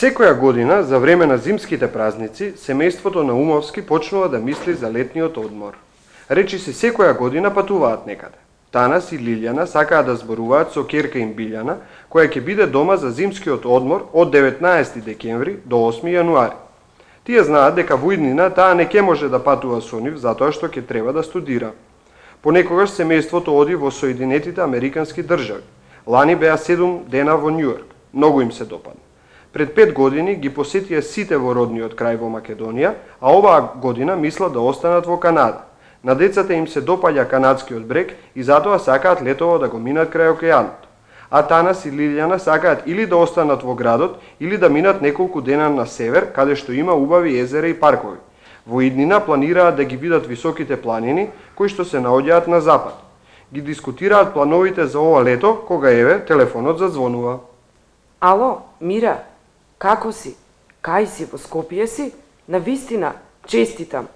Секоја година, за време на зимските празници, семејството на Умовски почнува да мисли за летниот одмор. Речи се секоја година патуваат некаде. Танас и Лилјана сакаат да зборуваат со ќерка им Билјана, која ќе биде дома за зимскиот одмор од 19 декември до 8 јануари. Тие знаат дека во иднина таа не ќе може да патува со нив затоа што ќе треба да студира. Понекогаш семејството оди во Соединетите Американски држави. Лани беа 7 дена во Њујорк. Многу им се допадна. Пред 5 години ги посетија сите во родниот крај во Македонија, а оваа година мислат да останат во Канада. На децата им се допаѓа канадскиот брег и затоа сакаат летово да го минат крај океанот. А Танас и Лилјана сакаат или да останат во градот, или да минат неколку дена на север, каде што има убави езера и паркови. Во иднина планираат да ги видат високите планини, кои што се наоѓаат на запад. Ги дискутираат плановите за ова лето, кога еве телефонот зазвонува. Ало, Мира, како си? Кај си, во Скопје си? Навистина, честитам.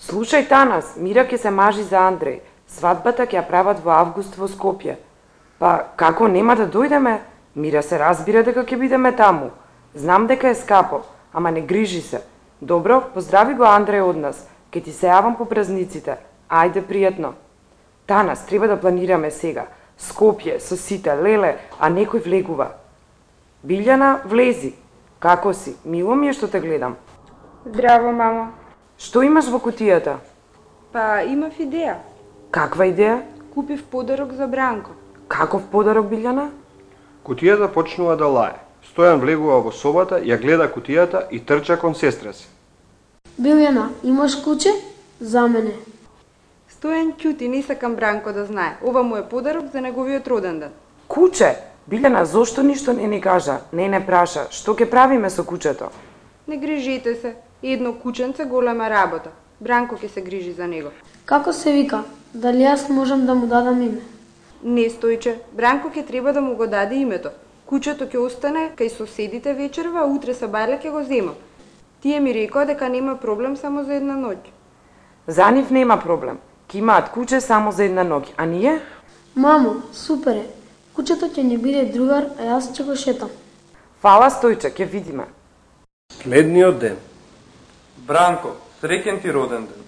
Слушај, Танас, Мира ќе се мажи за Андреј. Свадбата ќе ја прават во август во Скопје. Па, како нема да дојдеме? Мира се разбира дека ќе бидеме таму. Знам дека е скапо, ама не грижи се. Добро, поздрави го Андреј од нас. Ке ти се јавам по празниците. Ајде, пријатно. Танас, треба да планираме сега. Скопје, со сите, леле, а некој влегува. Билјана, влези. Како си? Мило ми е што те гледам. Здраво, мамо. Што имаш во кутијата? Па, имав идеја. Каква идеја? Купив подарок за Бранко. Каков подарок, Билјана? Кутијата почнува да лае. Стојан влегува во собата, ја гледа кутијата и трча кон сестра си. Билјана, имаш куче? За мене. Стојан ќути, не сакам Бранко да знае. Ова му е подарок за неговиот роден ден. Куче? Билјана, зошто ништо не ни кажа? Не праша. Што ќе правиме со кучето? Не грижите се. Едно кученце голема работа. Бранко ќе се грижи за него. Како се вика? Дали јас можам да му дадам име? Не, Стојче. Бранко ќе треба да му го даде името. Кучето ќе остане кај соседите вечерва, а утре са бајле ќе го земам. Тие ми рекоа дека нема проблем само за една ноќ. За нив нема проблем. Ки имаат куче само за една ноќ, а ние? Мамо, супер е. Кучето ќе ни биде другар, а јас ќе го шетам. Фала, Стојче, ќе видиме. Следниот ден. Бранко, среќен ти роден ден.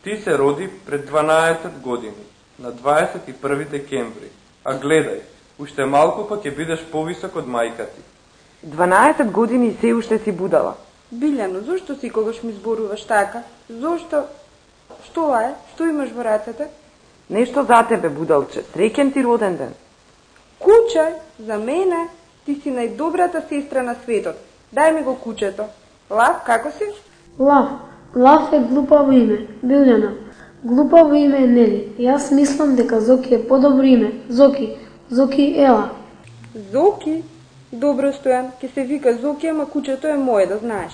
Ти се роди пред 12 години, на 21 декември. А гледај, уште малку па ќе бидеш повисок од мајка ти. 12 години и се уште си будала. Билјано, зошто си когаш ми зборуваш така? Зошто? Што е? Што имаш во рацете? Нешто за тебе, будалче. Среќен ти роден ден. Куче, за мене, ти си најдобрата сестра на светот. Дај ми го кучето. Лав, како си? Лав. Лав е глупаво име. Билјана. Глупаво име е Нели. Јас мислам дека Зоки е подобро име. Зоки. Зоки, ела. Зоки? Добро, Стојан, ќе се вика Зоки, ама кучето е моје, да знаеш.